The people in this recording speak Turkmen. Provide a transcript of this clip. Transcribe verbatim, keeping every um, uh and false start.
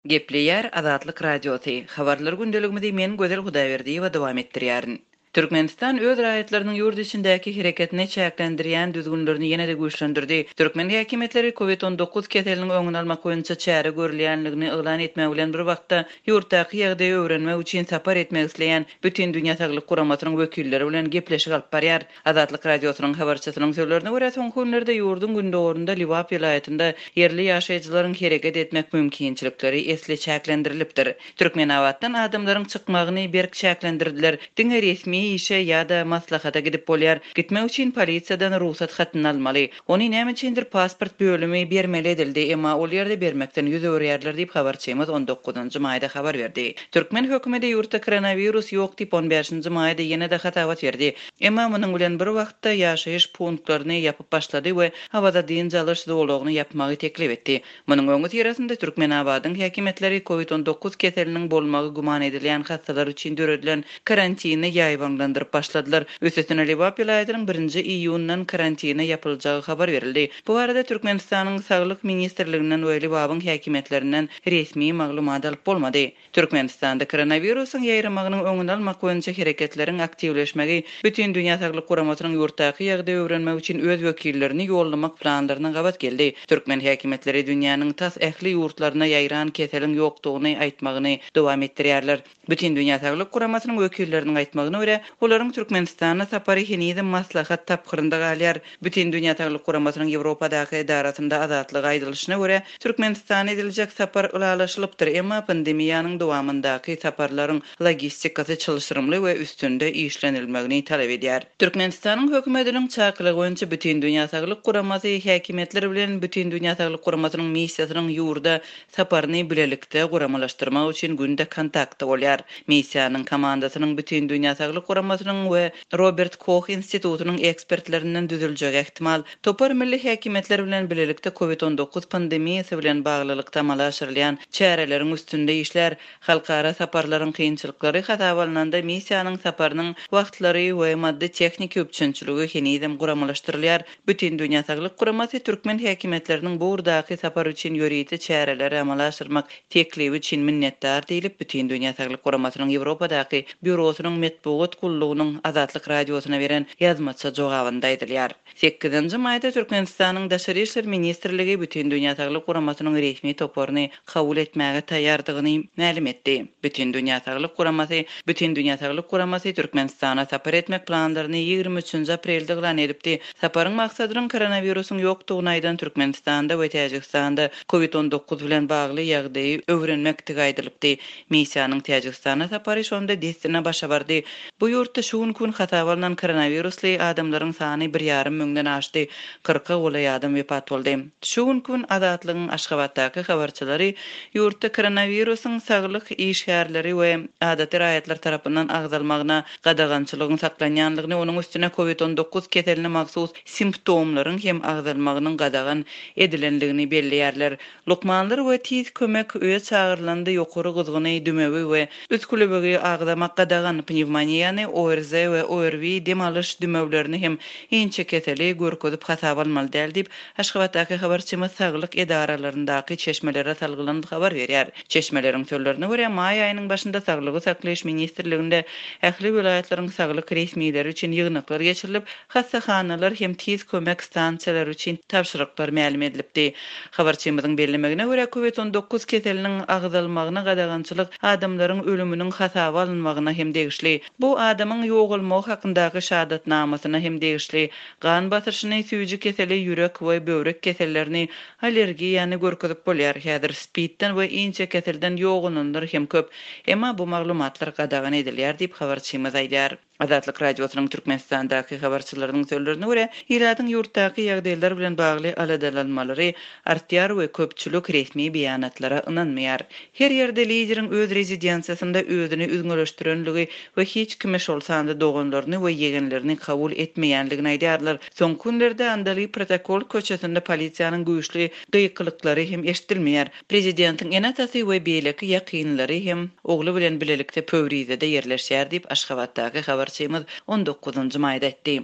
Gepleýär Azatlyk Radiosy. Habarlar gündeligimizi men Gözel Hudaýberdiýewa dowam etdirýärin. Türkmenistan öz raýatlarynyň ýurt içindäki hereketini çäklendirýän düzgünlerini ýene-de güýçlendirdi. Türkmen häkimiýetleri COVID on dokuz keseliniň öňüni almak boýunça çäre görülýänligini yglan etmek bilen bir wagtda ýurtdaky ýagdaýy öwrenmek üçin sapar etmek isleýän Bütindünýä Saglyk Guramasynyň wekilleri bilen gepleşik alyp barýar. Azatlyk Radiosynyň habarçysynyň sözlerine görä, soňky günlerde ýurduň gündogarynda Lebap welaýatynda ýerli ýaşaýjylaryň hereket etmek mümkinçilikleri esli çäklendirilipdir. Türkmenabatdan adamlaryň çykmagyny berk çäklendirdiler. Diňe resmi işe ýa-da maslahata gidip bolýar. Gitmek üçin polisiýadan rugsat hatyny almaly. Ony näme üçindir pasport bölümi bermeli edildi, emma ol ýerde bermekden ýüz öwürýärler diýip habarçymyz on dokuzynjy maýda habar berdi. Türkmen hökümeti ýurtda koronawirus ýok diýip on bäşinji maýda ýene-de hasabat berdi. Emma munuň bilen bir wagtda ýaşaýyş punktlaryny ýapyp başlady we Awaza dynç alyş zolagyny ýapmagy teklip etdi. Munuň öňi syrasynda Türkmenabadyň häkimiýetleri COVID on dokuz keseliniň bolmagy güman edilýän hastalar üçin döredilen karantini ýaýbaňlandyryp başladylar. Üstesine Lebap welaýatynyň birinji iýundan karantina ýapyljagy habar berildi. Bu arada Türkmenistanyň Saglyk Ministrliginden we Lebabyň häkimiýetlerinden resmi maglumat alyp bolmady. Türkmenistanda koronawirusyň ýaýramagynyň öňüni almak boýunça hereketleriň aktiwleşmegi Bütindünýä Saglyk Guramasynyň ýurtdaky ýagdaýy öwrenmek üçin öz wekillerini ýollamak planlaryna gabat geldi. Türkmen häkimiýetleri dünýäniň tas ähli ýurtlaryna ýaýran keseliň ýokdugyny aýtmagyny dowam etdirýärler. Bütindünýä Saglyk Guramasynyň wekilleriniň aýtmagyna görä, olaryň Türkmenistana sapary henizem maslahat tapgyrynda galýar. Bütindünýä Saglyk Guramasynyň Ýewropadaky edarasynda azatlyk aýdylyşyna görä, Türkmenistana ediljek sapar ylalaşylypdyr, emma pandemiýanyň dowamyndaky saparlaryň logistikasy çylşyrymly we üstünde işlenilmegini talap edýär. Türkmenistanyň hökümetiniň çakylygy boýunça Bütindünýä Saglyk Guramasy häkimiýetler bilen Bütindünýä Saglyk Guramasynyň missiýasynyň ýurda saparyny bilelikde guramalaşdyrmak üçin günde kontaktda bolýar. Missiýanyň komandasynyň Bütindünýä Saglyk Guramasynyň we Robert Koch institutynyň ekspertlerinden düzüljegi ähtimal. Topar milli häkimiýetler bilen bilelikde COVID on dokuz pandemiýasy bilen baglylykda amala aşyrylýan çäreleriň üstünde işler. Halkara saparlaryň kynçylyklary hasaba alnanda missiýanyň saparynyň wagtlary we maddy tehniki üpjünçiligi henizem guramalaşdyrylýar. Bütindünýä Saglyk Guramasy türkmen häkimiýetleriniň bu ugurdaky sapar üçin ýörite çäreleri amala aşyrmak teklibi üçin minnetdar diýlip Bütindünýä Saglyk Guramasynyň Ýewropadaky býurosynyň metbugat gullugynyň Azatlyk Radiosyna beren ýazmaça jogabynda aýdylýar. Sekizinji maýda Türkmenistanyň Daşary İşler Ministrligi Bütindünýä Saglyk Guramasynyň resmi toparyny kabul etmäge taýýardygyny mälim etdi. Bütindünýä Saglyk Guramasy Bütindünýä Saglyk Guramasy Türkmenistana sapar etmek planlaryny ýigrimi üçünji aprelde yglan edipdi. Saparyň maksadynyň koronawirusyň ýokdugyny aýdan Türkmenistanda we Täjigistanda COVID on dokuz bilen bagly ýagdaýy öwrenmekdigi aýdylypdy. Missiýanyň Täjigistana sapary şonda dessine başa bardy. Bu ýurtda şu gün gün hasaba alnan koronavirusly adamlaryň sany bir ýarym müňden aşdy. Kyrka golaý adam wepat boldy. Şu gün gün Azatlygyň Aşgabatdaky habarçylary ýurtda koronawirusyň saglyk işgärleri we adaty raýatlar tarapyndan agzalmagyna gadagançylygyň saklanýanlygyny, onuň üstüne COVID on dokuz keseline mahsus simptomlaryň hem agzalmagynyň gadagan edilenligini belleýärler. Lukmanlar we tiz kömek öýe çagyrylanda ýokary gyzgyny, dümewi we üskülebegi agzamak gadagan, pnewmoniýany, O R Z we O R V dem alyş dümewlerini hem inçe keseli görkezip hasaba almaly däl diýip, Aşgabatdaky habarçymyz saglyk edaralaryndaky çeşmelere salgylanyp habar berýär. Çeşmeleriň sözlerine görä, maý aýynyň başynda Saglygy saklaýyş ministrliginde ähli welaýatlaryň saglyk resmileri üçin ýygnaklar geçirilip, hassahanalar hem tiz kömek stansiýalary üçin tabşyryklar mälim edilipdi. Habarçymyzyň bellemegine görä, COVID on dokuz keseliniň agzalmagyna gadagançylyk adamlaryň ölüminiň hasaba alynmagyna hem degişli. Bu adamyň ýogalmagy hakyndaky şahadatnamasyna hem degişli. Gan basyşyny, süýji keseli, ýürek we böwrek kesellerini, allergiýany görkezip bolýar. Häzir SPID-den we inçe keselden ýogalanlar hem köp. Emma bu maglumatlar gadagan edilýär diýip habarçymyz aýdýar. Azatlyk Radiosynyň Türkmenistandaky habarçylarynyň sözlerine görä, ilatyň ýurtdaky ýagdaýlar bilen bagly aladalanmalary artýar we köpçülik resmi beýanatlara ynanmaýar. Her ýerde lideriň öz rezidensiýasynda özüni üzňeleşdirenligi we hiç kime şol sanda doganlaryny we ýegenlerini kabul etmeýänligini aýdýarlar. Soňky günlerde Andaly protokol köçesinde polisiýanyň güýçli gykylyklary hem eşidilmeýär. Prezidentiň ene-atasy we beýleki ýakynlary hem ogly bilen bilelikde Pöwrizede ýerleşýär diýip Aşgabatdaky habarçymyz on dokuzynjy maýda aýtdy.